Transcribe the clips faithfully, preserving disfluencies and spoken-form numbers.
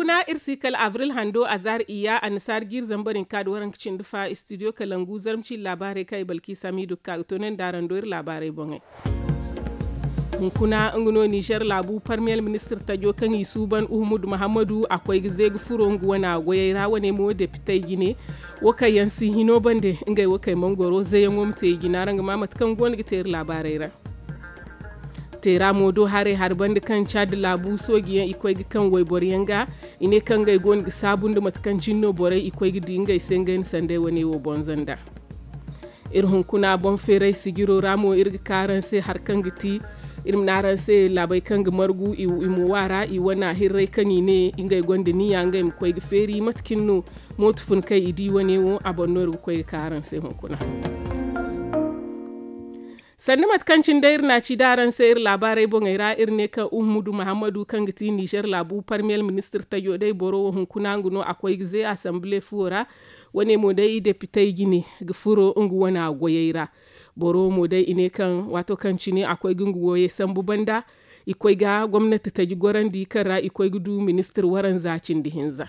Na iri si kala avril hando a zaari iyya annasaari jiiri zambar hinka nda waranka cindi fa istudiyo kalangu zarma ciiri laabaarey kaŋ i balki samiidu ga ka ga toonandi araŋ do iri laabaarey boŋey. Hunkuna nga no nizer laabu parmiyel ministir tajo kaŋ i suuban uhumudu muhammadu a koy ga ze ga furo nga wana goyey ra wane mo depitey jine. Wo kaŋ yaŋ si hino bande ngey wo kay mangoro zeyaŋo ma te i jina ra nga ma mate kaŋ go no ga te iri laabaarey ra. Teera mo do haray hari banda kaŋ caadi laabu sooji yaŋ i koy ga kaŋ wayboro yaŋ ga. I ne kaŋ ngey go no ga saabu nda mate kaŋ cine no borey i koy ga di ngey se ngey na sanday wane wo bonza nda. Iri hunkuna boŋ feeray sijiro ra mo iri ga ka araŋ se hari kaŋ ga ti iri ma ne araŋ se laabey kaŋ ga margu i mo wa ra i wana hirray kaŋ i ne ngey gonda niya ngey ma koy ga feeri mate cine no mooto fun kaŋ i di wane wo a boŋ no iri ga koy ga ka araŋ se hunkuna. Sanda mate kaŋ cine day iri na a ci da araŋ se iri laabaarey boŋey ra iri ne kaŋ uhumudu muhammadu kaŋ ga ti nizer laabu parmiyel ministir tajo day boro wo hunkuna nga no a koy ga ze asanbile fuwo ra. Wane mo day depitey jine ga furo nga wana goyey ra. Boro wo mo day i ne kaŋ waato kaŋ cine a koy ga nga goyey sambu banda i koy ga gomnati taji gorandi kaŋ ra i koy ga du ministir waranza cindi hinza.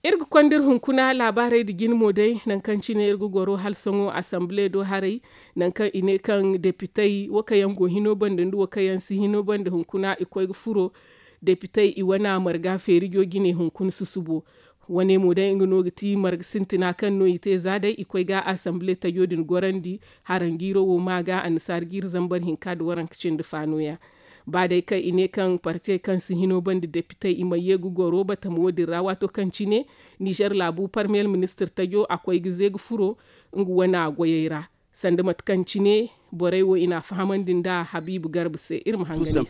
Iri ga konda iri hunkuna laabaarey nda jine mo day nangu kaŋ cine iri ga goro hala sohõ asanbile do haray. Nangu kaŋ i ne kaŋ depitey wo kaŋ yaŋ go hino banda nda wo kaŋ yaŋ si hino banda hunkuna i koy ga furo depitey i wana marga feerijo jine hunkuna susubo. Wane mo day nga no ga ti marga sintina kaŋ no i te za day i koy ga asanbile tajo din gorandi. Haranjiiro wo ma ga annasaari jiiri zambar hinka nda waranka cindi fa nooya. Ba day kaŋ i ne kaŋ partey kaŋ si hino banda depitey i ma ye ga goro batamo din ra waato kaŋ cine nizer laabu parmiyel ministir tajo a koy ga ze ga furo nga wana goyey ra. Sanda mate kaŋ cine borey wo i na a fahamandi nda habiibu garba se iri ma hangan i se.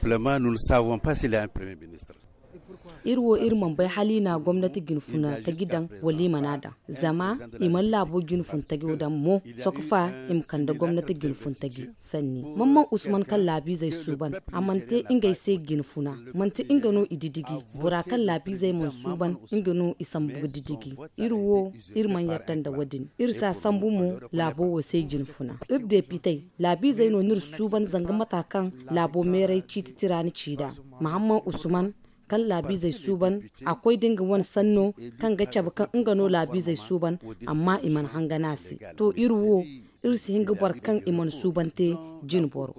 Iri wo iri mana bay hala i na gomnati jinfuna taji daŋ wala i mana a daŋ. Zama i mana laabo jinfun tajo daŋ mo. Sohõ fa i ma kande gomnati jinfun taji sanni. Mamman usman kaŋ laabiizey suuban a mana te ngey se jinfuna. Manti nga no i didiji. Bora kaŋ laabiizey mana suuban nga no i sambu ga didiji. Iri wo iri mana yarda nda wo din iri si a sambu mo. Laabo wo se jinfuna iri depitey laabiizey no no iri suuban zanga mata kaŋ laabo meeray ciiti tira ni ci nd'a. Mahamman usman kaŋ laabiizey suuban a koy da nga wane sanno kaŋ ga cabe kaŋ nga no laabiizey suuban. Amma i mana hangan a se. To iri wo iri si hin ga boro kaŋ i mana suuban te jine boro.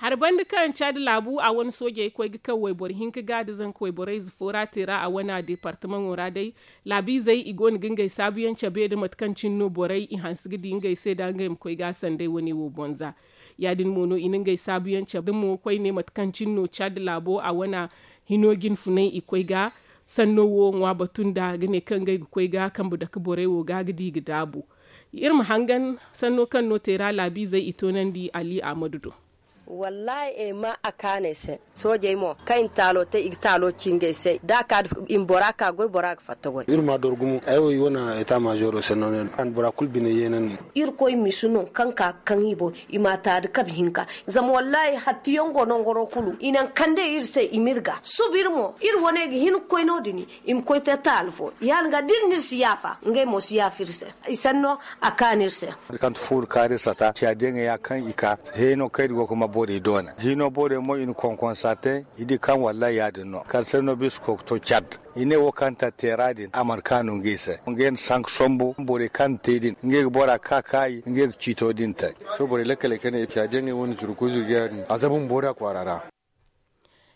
Hari banda kaŋ caadi laabu a wane soojey koy ga kaŋ wayboro hinka ga da zanka wayborey ize fo ra te ra a wane a deepartamaŋo ra day. Laabiizey i go no ga ngey saabuyaŋ cabe nda mate kaŋ cine no borey i hanse ga di ngey se da ngey ma koy ga a sanday wane wo bonza. Ya- din mo no i na ngey saabuyaŋ cabe mo koyne mate kaŋ cine no caadi laabo a wane hino jinfunay i koy ga sanno wo ŋwa batu nda ga ne kaŋ ngey ga koy ga kambe dake borey wo ga ga di ga daabu. Iri ma hangan sanno kaŋ no teera laabiizey i toonandi ali ahmadu do. Wallaahi ay ma a kaanay se. Soojey mo kaŋ i na taalo te i ga taalo ci ngey se da a ka da i ma bora ka goy bora ga fatta goy. Iri ma a doro gumo ay wo i wane eta maazoro se no ne. Bora kulu bine yeena no. Irkoy misi no kaŋ ka kaŋ i boŋ i ma a ta da kabe hinka. Zama wallaahi hattiyaŋ go nangoro kulu i naŋ kande iri se i ma iri ga suba iri mo iri wane ga hin ga koy no- din. I ma koy te taali fo ya- din ga da iri no iri si yaafa ngey mo si yaafa iri se. I sanno a kaanu iri se. Kaŋ ti fuuru kaari sata ciya deŋey ya kaŋ i ka heeno kaŋ iri go ga ma borey doona hino borey mo i na konkonsa te. I di kaŋ wallaahi ya- din no kala sanno bisa koy ga to cad. I ne wo kaŋ ta teera din a mana kaanu ngey se ngey na sanka sombu borey kaŋ na te din ngey ga bora ka kaayi ngey ga ciito din te. Sohõ borey lakkaley kaŋ ne ciya deŋey wane zuru koy zuru ga ya- din a zabu ma boori a kwaara ra.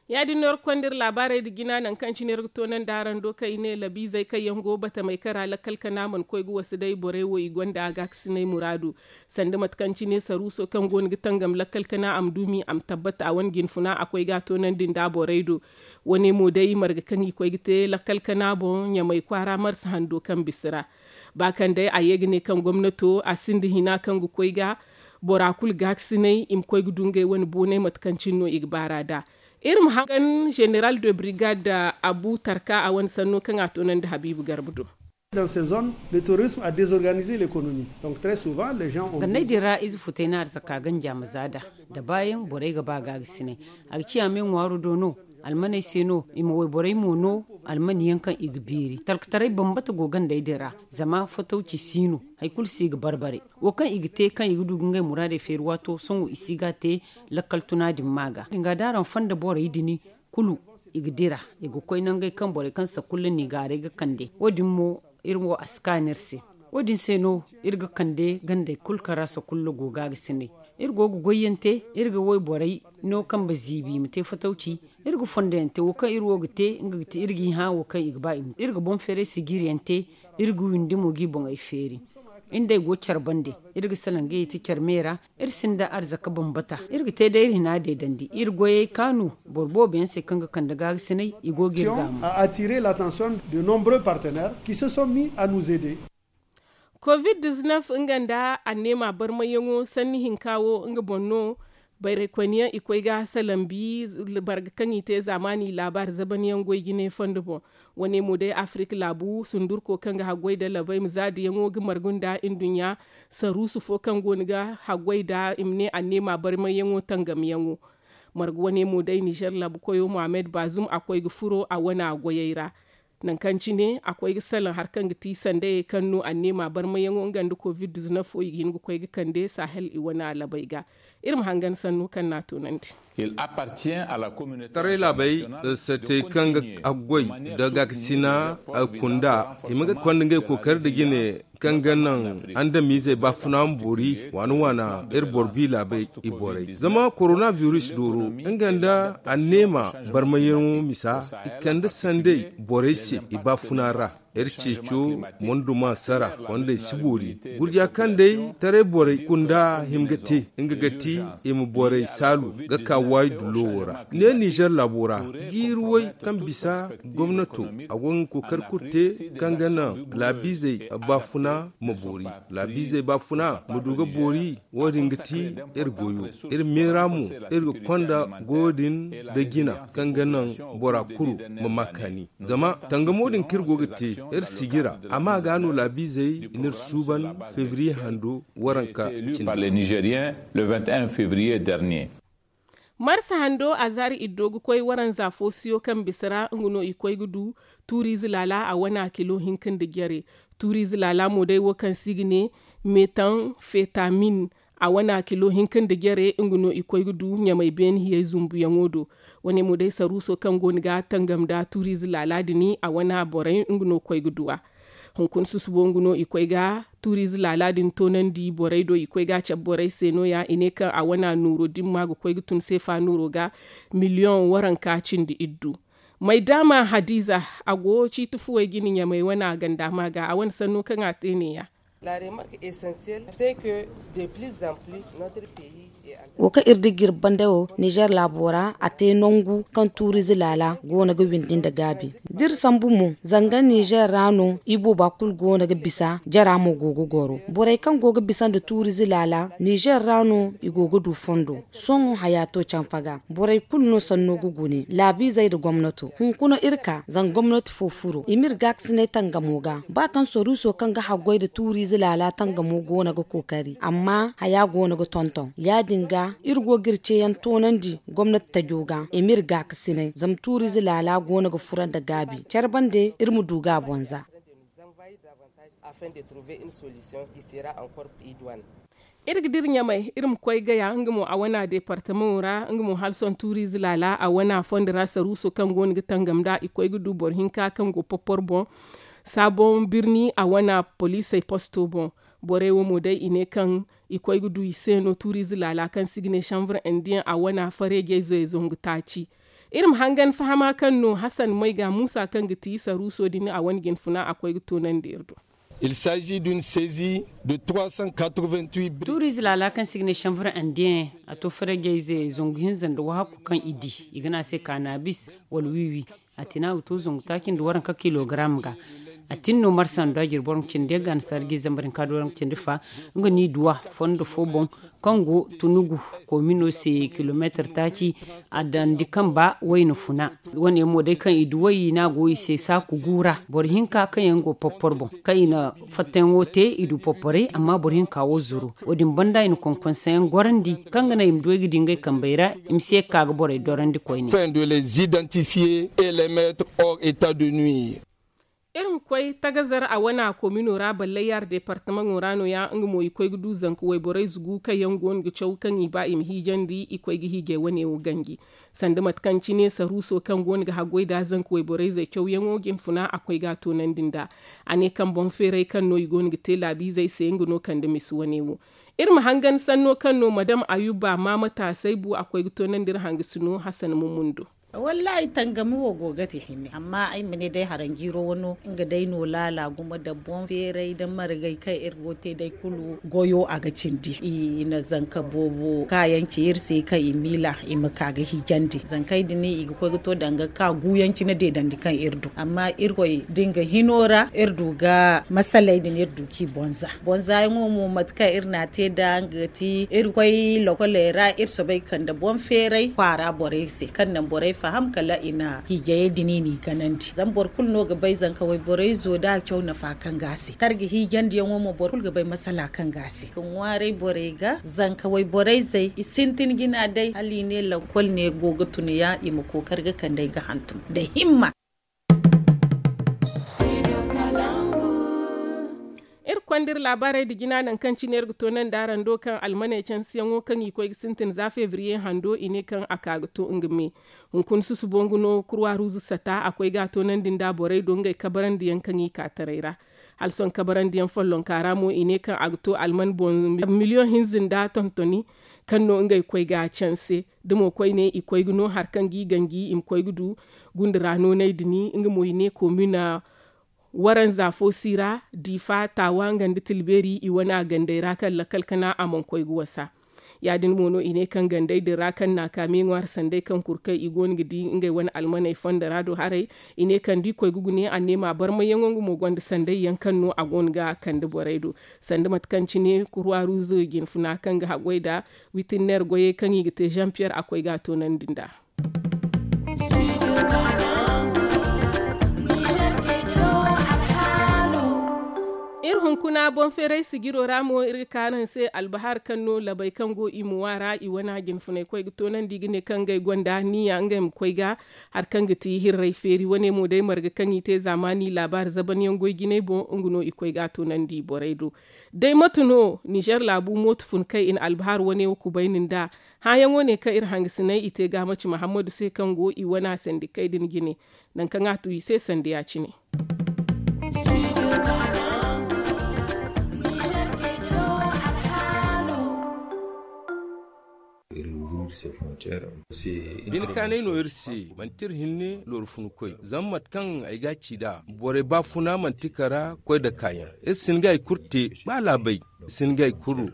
Ya- din no iri ga konda iri laabaarey nda jina nangu kaŋ cine iri ga toonandi araŋ do kaŋ i ne labiizey kaŋ yaŋ go batamey kaŋ ra lakkal kana mana koy ga wasa day borey wo i gonda a gaakasinay muraadu. Sanda mate kaŋ cine saruuso kaŋ go no ga tangam lakkal kana a ma duumi a ma tabbat a wane jinfuna a koy ga a toonandi nda borey do. Wane mo day marga kaŋ i koy ga te lakkal kana boŋ ɲamay kwaara marsa hando kaŋ bisa ra. Ba kaŋ day a ye ga ne kaŋ gomnato a sinda hina kaŋ ga koy ga bora kulu gaakasinay i ma koy ga du ngey wane boonay mate kaŋ cine no i ga baara nd'a. Iri ma hangan zeneral de brigade abu tarka a wane sanno kaŋ a toonandi habiibu garba do. Dans ces zones le terrorisme a désorganisé l'économie. Donc très souvent les gens ont ganney din ra ize futay no arzaka ganja ma za nd'a. Da baayaŋ borey ga ba gaagasinay a ga ciya me ŋwaaro do no. Almaney se no i ma wayborey mo no. Almani yaŋ kaŋ i ga beeri talkataray bambata go gandey din ra. Zama fatawci si no hari kulu si ga barbare. Wo kaŋ i ga te kaŋ i ga du ga ngey muraadey feeri waato sohõ i si ga a te. Lakkal tuna din ma ga din ga da araŋ fonda borey din kulu i ga dira. I ga koy nangey kaŋ borey kaŋ sakulla n'i gaaray ga kande wo- din mo iri wo a si kaanu iri se. Wo- din se no iri ga kande gandey kulu kaŋ ra sakulla go ga ga sinay. Iri go ga goyyaŋ te iri ga wayborey no kambe ziibi i ma te fatawci. Iri ga fondoyaŋ te wo kaŋ iri wo ga te nga ga ti iri g'i hã wo kaŋ i ga ba i ma iri ga boŋ feeray sijiriyaŋ te. Iri ga windi mo g'i boŋey feeri. Iri nd'ey go care bande. Iri ga salaŋ ga i ti care me ra. Iri sinda arzaka bambata iri ga te day iri hina deedandi iri goyey kaanu. Boro boobo yaŋ se kaŋ ga kande gaagasinay i go ga iri gaama. A attirer l'attention de nombreux partenaires qui se sont mis à nous aider. Covid dix-neuf nga nda anneema barmayyaŋo sanni hinka wo nga boŋ no. Bayraykoyniyaŋ i koy ga salambi barga kaŋ i te zaamaani laabaari zabanyaŋ goy jine fondo boŋ. Wane mo day afirik laabu sundurko kaŋ ga haggoy da labay ma zaadiyaŋo ga margu nda nduɲɲa saruusu fo kaŋ go no ga haggoy da i ma ne anneema barmayyaŋo tangamyaŋo. Margu wane mo day nizer laabu koyo mohammed baazum a koy ga furo a wana goyey ra. Nangu kaŋ cine a koy ga salaŋ hari kaŋ ga ti sandayey kaŋ no anneema barmayaŋo nga nda covid dix-neuf wo i ga hin ga koy ga kande sahel i wana labey ga. Iri ma hangan sanno kaŋ no a toonandi. Taray laabey, satey kaŋ ga aggoy da gaakasina kunda i ma ga konda ngey kookari nda jine kaŋ ga naŋ andamiizey baafuna ma boori waana waana. Iri boro bi laabey i borey zama korona virus dooro nga nda anneema barmayaŋo misa i kande sanday borey se i baafuna ra. Iri ceeco monduma sara kondey si boori. Gurja kaŋ day taray borey kunda hima ga te nga ga ti i ma borey saalu ga ka waayi dullo wo ra ne nizer laabo ra. Jiiri way kaŋ bisa gomnato a go ga kookari kulu te kaŋ ga naŋ laabiizey baafuna ma boori. Laabiizey baafuna ma du ga boori. Wo-din ga ti iri goyo. Iri meera mo iri ga konda goyo din da jina kaŋ ga naŋ bora kulu ma ma kaani. Zama tangamo din kaŋ iri go ga te iri sijira a ma ga no laabiizey n'iri suuban febriye hando waranka cine. Marsa hando a zaari iddo ga koy waranza fo siyo kaŋ bisa ra nga no i koy ga du tuuriize laala a wana kilo hinka nda jare. Tuuriize laala mo day wo kaŋ se i ga ne metanfetamin a wana kilo hinka nda jare nga no i koy ga du ɲamay beene hiyey zumbuyaŋo do. Wane mo day saruuso kaŋ go no ga tangam nda tuuriize laala din a wana borey nga no koy ga du a. Hunkuna susubo nga no i koy ga tuuriize laala din toonandi borey do i koy ga a cabe borey se no- ya i ne kaŋ a wana nooro dimma ga koy ga tun seefa nooro ga miliyoŋ waranka cindi iddu. May daama hadiza a go ciiti fuwey jine ɲamey wana ganda ma ga a wane sanno kaŋ a te ne- ya. Wo kaŋ iri di ga iri bande wo nizer laabo ra a te nangu kaŋ tuuriize laala go no ga windi nda gaabi. Da iri sambu mo zanga nizer ra no i booba kulu go no ga bisa jara mo go ga goro borey kaŋ go ga bisa nda tuuriize laala nizer ra no i go ga du fondo. Sohõ haya to canfa ga borey kulu no sanno ga gune laabiizey nda gomnato hunkuna iri ka zanga gomnati fo furo i m'iri gaakasinay tangamo ga ba kaŋ soruuso kaŋ ga haggoy nda tuuriize laala tangamo go no ga kookari amma haya go no ga tonton ya- din ga iri go ga iri ceeyaŋ toonandi gomnati tajo ga i m'iri gaakasinay zama tuuriize laala go no ga fura nda gaabi care bande iri ma du ga a boŋ za. Iri ga dira ɲamay iri ma koy gaya nga mo a wana departamaŋo ra nga mo hala sohõ tuuriize laala a wana fondo ra saruuso kaŋ go no ga tangam nd'a i koy ga du boro hinka kaŋ go porpor boŋ. Saabon birni a wana poliisey posto boŋ. Borey wo mo day i ne kaŋ i koy ga du i se no tuuriize laala kaŋ se i ga ne sanbre indiyen a wana fareejey zey zangu taaci. Iri ma hangan fahama kaŋ no hasan moy ga muusa kaŋ ga ti saruuso din a wane jinfuna a koy ga toonandi iri do. Il s'agit d'une saisie de trois cent quatre-vingt-huit briques. Tuuriize laala kaŋ se i ga ne sanbre indiyen a to fareejey zey zangu hinza nda wahakku kaŋ i di i ga ne a se kaanabis wala wiiwi. A tina ga to zangu taaci nda waranka kilogaram ga. A tin no marsa nda jiri boro nga cindi yaŋ ga a na sarji zambar hinka do ra nga cindi fa. Nga no i duwa fondo fo boŋ kaŋ go tunugu komino se kilomeetar taaci. A dandi kamba wayna funa. Wane yaŋ mo day kaŋ i du way no a go i se saaku guura boro hinka kaŋ yaŋ go porpor boŋ kaŋ i na fattayaŋo te i du porporey amma boro hinka wo zuru. Wo- din banda i na konkonsayaŋ gorandi kaŋ ga naŋ i ma du ay ga di ngey kambey ra i ma si ye ga ka ga borey dorandi koyne. Iri ma koy tagazar a wana komino ra ballayar departamaŋo ra no- ya nga mo i koy ga du zanka wayborey zugu kaŋ yaŋ go no ga caw kaŋ i ba i ma hiijandi i koy ga hiijay wane wo ganji. Sanda mate kaŋ cine saruuso kaŋ go no ga haggoy nda zanka wayborey zey cawyaŋo jinfuna a koy ga a toonandi nd'a. A ne kaŋ boŋ feeray kaŋ no i go no ga te laabiizey se nga no kande misi wane wo. Iri ma hangan sanno kaŋ no madam ayuba maama taasay bu a koy ga toonandi iri hangasino hasan mummun do. Wallaahi tangami wo go ga te hinne amma ay ma ne day haranjiiro wano nga day no laala gumo da boŋ feeray da margay kaŋ iri go te day kulu goyo a ga cindi i na zanka boobo kaayaŋ ci iri se kaŋ i miila i ma ka ga hijandi zankey din i ga koy ga to danga ka guuyaŋ cine deedandi kaŋ iri du amma irkoy da nga hino ra iri du ga masaley din iri du k'i bonza bonza yaŋo mo mate kaŋ iri n'a te nd'a nga ga ti iri koy lokoley ra iri soobay ga kande boŋ feeray kwaara borey se kaŋ naŋ borey faham kala i na hiijayey din i n'i ganandi zama boro kulu no ga bay zanka wayborey zo da a caw nafa kaŋ ga a se tarji hiijandiyaŋo mo boro kulu ga bay masala kaŋ ga a se ga ŋwaaray borey ga zanka wayborey zey i sintin jina day hala i ne lakkol ne go ga tun ya i ma kookari ga kande ay ga hantum nda himma. Iri konda iri laabaarey nda jina nangu kaŋ cine iri ga toonandi araŋ do kaŋ almaney cansiyaŋo kaŋ i koy ga sintin za febriye hando i ne kaŋ a ka ga to nga me. Hunkuna susubo nga no kurwa ruuzu sata a koy ga a toonandi nda borey do ngey kabarandiyaŋ kaŋ i ka taray ra. Hala sohõ kabarandiyaŋ follonka ra mo i ne kaŋ a ga to alman boŋ miliyoŋ hinza nda tontoni kaŋ no ngey koy ga canse da mo koyne i koy ga no hari kaŋ ga i ganji i ma koy ga du gunda ra nooney din nga mo i ne komina waranza fo si ra difa taawa nga nda tilbeeri i wane a gandey ra kaŋ lakkal kana a mana koy ga wasa. Ya- din mo no i ne kaŋ gandey din ra kaŋ na a ka me ŋwaari sanday kaŋ kurkey i go no ga di ngey wane almaney fondo ra do haray. I ne kaŋ da i koy ga gune anneema barmayyaŋo nga mo gonda sanday yaŋ kaŋ no a go no ga kande borey do sanda mate kaŋ cine kurwa ruuzo jinfuna kaŋ ga haggoy nda witinner goyey kaŋ i ga te jean pierre a koy ga a toonandi nd'a. Iri hunkuna boŋ feeray sijiro ra mo iri ga ka araŋ se albahar kaŋ no labey kaŋ go i muwa ra i wane jinfunay koy ga toonandi ga ne kaŋ ngey gonda niya ngey ma koy ga hari kaŋ ga ti hirray feeri wane mo day marga kaŋ i te zaamaani laabaari zabanyaŋ goy jinay boŋ nga no i koy ga a toonandi borey do. Day mate no nizer laabu mooto fun kaŋ i na albahar wane wo kubayni nd'a. Hããyaŋo ne kaŋ iri hangasinay i te ga a maci mahammadu se kaŋ go i wane a sandi kay din jine. Nangu kaŋ a tu i se sanda ya- cine. Bine kaanay no iri se manti iri hinne looru funu koy zama mate kaŋ ay ga a ci nd'a borey baafuna manti kara koy nda kaayaŋ iri si hin ga hari kulu te ba laabey i si hin ga hari kulu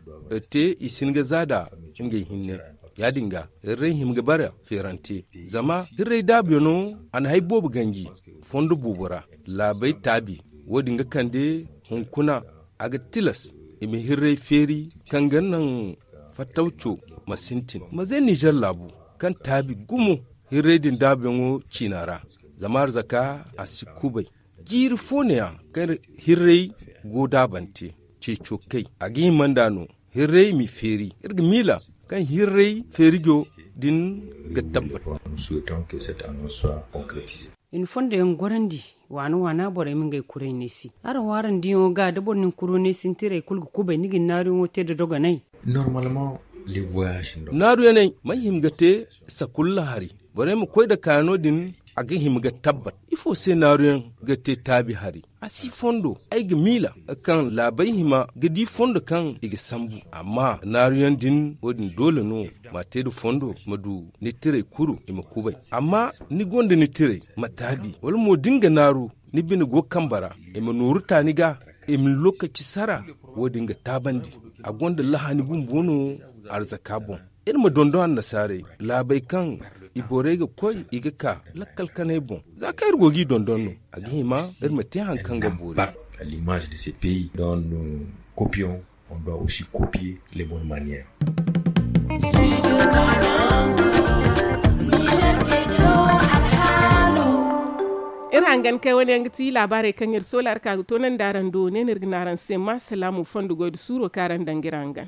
te i si hin ga za nd'a ngey hinne. Ya- din ga hirray hima ga bare feerante zama hirray daabuyaŋo a na hari boobo ganji fondo boobo ra laabey taabi wo- din ga kande hunkuna a ga tilas i ma hirray feeri kaŋ ga naŋ fattawco ma sintin maze nizer laabu kaŋ taabi gumo hirray din daabuyaŋo ciina ra. Zama arzaka a si kubay jiiri fo neeya kaŋ hirray go daabante ceeco kay a ga hima nd'a no hirray m'i feeri iri ga miila kaŋ hirray feerijo din ga tabbat. I na fondo yaŋ gorandi waana waana borey ma ngey kuray neesi araŋ wo araŋ diyaŋo ga da boro na ni kuro neesi ni tiray kulu ga kubay ni ga ni naaruyaŋo te nda dogonay. Naaruyaney may hima ga te sakulla hari borey ma koy nda kaano din a ga hima ga tabbat ifo se naaruyaŋ ga te taabi hari a si fondo ay ga miila kaŋ laabey hima ga di fondo kaŋ i ga sambu amma naaruyaŋ din wo- din doole no m'a te nda fondo ma du ni tiray kuru i ma kubay amma ni gonda ni tiray ma taabi wala mo da ni ga naaru ni bine go kambe ra i ma nooru ta ni ga i ma ni lookaci sara wo- din ga taabandi a gonda lahani bumbo no arzaka boŋ. Iri ma dondon annasaarey laabey kaŋ I borey ga koy, i ga ka lakkal kanay boŋ. Za kaŋ iri go g'i dondon no, a ga hima iri ma te hari kaŋ ga boori. L'image de ces pays dont nous copions, on doit aussi copier les bonnes manières. Iri hangan kay wane yaŋ ga ti laabaarey kaŋ iri soola iri ka ga toonandi araŋ do ne no iri ga ne araŋ se ma salaamu fondo goy da suuro kaŋ araŋ daŋ ga iri hangan.